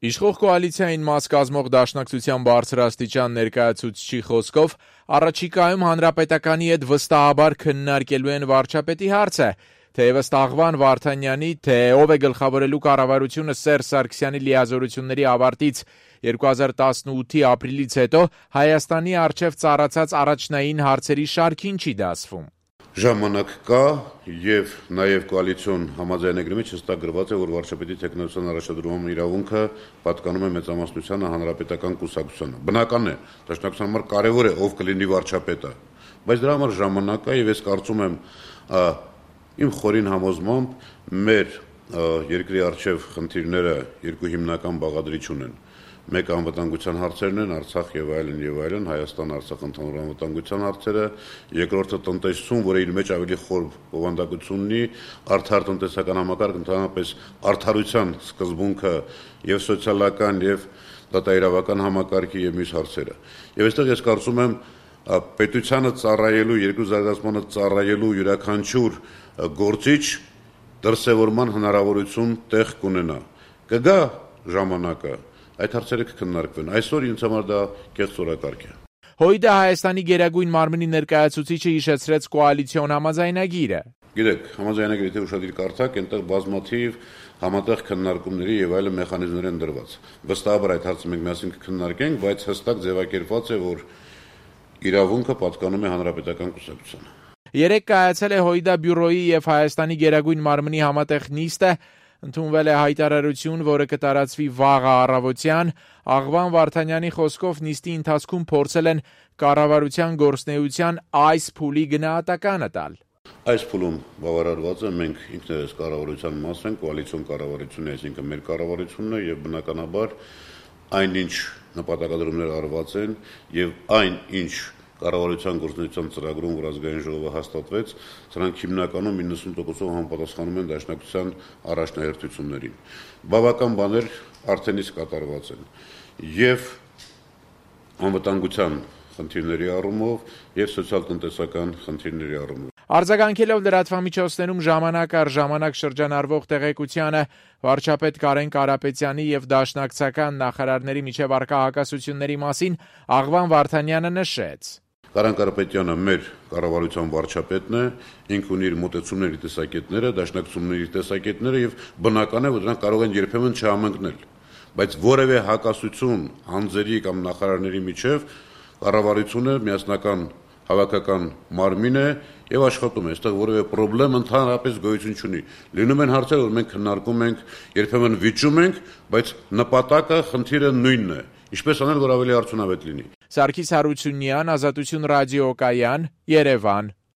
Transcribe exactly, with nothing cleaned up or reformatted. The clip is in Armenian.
Իշխող կոալիցիային մաս կազմող Դաշնակցության բարձրաստիճան ներկայացուցչի խոսքով առաջիկայում Հանրապետականի հետ վստահաբար քննարկելու են վարչապետի հարցը, թեևս Աղվան Վարդանյանի, թե ով է գլխավորելու կառավարությունը Սերժ Սարգսյանի լիազորությունների ավարտից երկու հազար տասնութի ապրիլից հետո Հայաստանի առջև ծառացած առաջնային հարցերի շարքին չի դասվում։ Ժամանակ կա եւ նաեւ կոալիցիոն համաձայնագրի մեջ հստակ գրված է, որ վարչապետի տեխնոլոգիական առաջադրման իրավունքը պատկանում է մեծամասնությանը հանրապետական կուսակցությանը։ Բնական է, դաշնակցության համար կարեւոր է ով կլինի վարչապետը, բայց դրա համար ժամանակ կա եւ ես կարծում եմ իմ խորին համոզմամբ մեր երկրի առջև խնդիրները երկու հիմնական բաղադրիչ ունեն։ Մեկը անվտանգության հարցերն են, Արցախ եւ այլն եւ այլն, Հայաստան-Արցախ ընդհանուր անվտանգության հարցերը, երկրորդը տնտեսություն, որը իր մեջ ավելի խոր բովանդակություն ունի, արդար տնտեսական համակարգ, ընդհանրապես արդարության սկզբունքը եւ սոցիալական եւ դատաիրավական համակարգի եւ մյուս հարցերը։ Եվ այստեղ ես կարծում եմ պետությանը ծառայելու, երկրի զարգացմանը ծառայելու յուրաքանչյուր գործիչ դրսևորման հնարավորություն տեղ կունենա։ Կգա ժամանակը այդ հարցերը կքննարկվեն։ Այսօր ինձ համար դա կեղծ օրակարգ է։ ՀՅԴ Հայաստանի գերագույն մարմնի ներկայացուցիչը հիշեցրեց կոալիցիոն համաձայնագիրը։ Գիտեք, համաձայնագիրը թե ուշադիր կարդաք, այնտեղ բազմաթիվ համատեղ քննարկումների եւ այլ մեխանիզմներ են դրված։ Վստահաբար այդ հարցը մենք միասին կքննարկենք, բայց հստակ ձևակերպված է, որ իրավունքը պատկանում է հանրապետական կուսակցությանը։ Երեկ կայացել է ՀՅԴ բյուրոյի եւ Հայաստանի գերագույն մարմնի համատեղ նիստը, ընդունվել է հայտարարություն, որը կտարածվի վաղը առավոտյան։ Աղվան Վարդանյանի խոսքով նիստի ընթացքում փորձել են կառավարության գործունեության այս փուլի գնահատականը տալ։ Այս փուլում բավարարված է, մենք ինքներս կառավարության մաս ենք, կոալիցիոն կառավարությունն է, այսինքն մեր կառավարությունն է եւ բնականաբար այնինչ նպատակադրումներ արված են եւ այնինչ կառավարության գործունեության ծրագրում, որ ազգային ժողովը հաստատվեց, սրանք հիմնականում իննսուն տոկոսով համապատասխանում են դաշնակցության առաջնահերթություններին։ Բավական բաներ արդեն իսկ կատարված են եւ անվտանգության խնդիրների առումով եւ սոցիալ-տնտեսական խնդիրների առումով։ Արձագանքելով լրատվամիջոցներում ժամանակ առ ժամանակ շրջանառվող տեղեկությանը, վարչապետ Կարեն Կարապետյանի եւ դաշնակցական նախարարների միջև առկա հակասությունների մասին Աղվան Վարդանյանը նշեց. Կարեն Կարապետյանը մեր կառավարության վարչապետն է, ինքը ունի իր մոտեցումների տեսակետները, դաշնակցությունների տեսակետները եւ բնական է, որ դրանք կարող են երբեմն չհամընկնել, բայց որևէ հակասություն անձերի կամ նախարարների միջև կառավարությունը միասնական հավաքական մարմին է եւ աշխատում է, այստեղ որևէ խնդրեմ ընդհանրապես գոյություն չունի։ Լինում են հարցեր, որ մենք քննարկում ենք, երբեմն վիճում ենք, բայց նպատակը, խնդիրը նույնն է։ Ինչպես անել, որ ավելի արդյունավետ լինի։ Սարգիս Հարությունյան, Ազատություն ռադիոկայան, Երևան։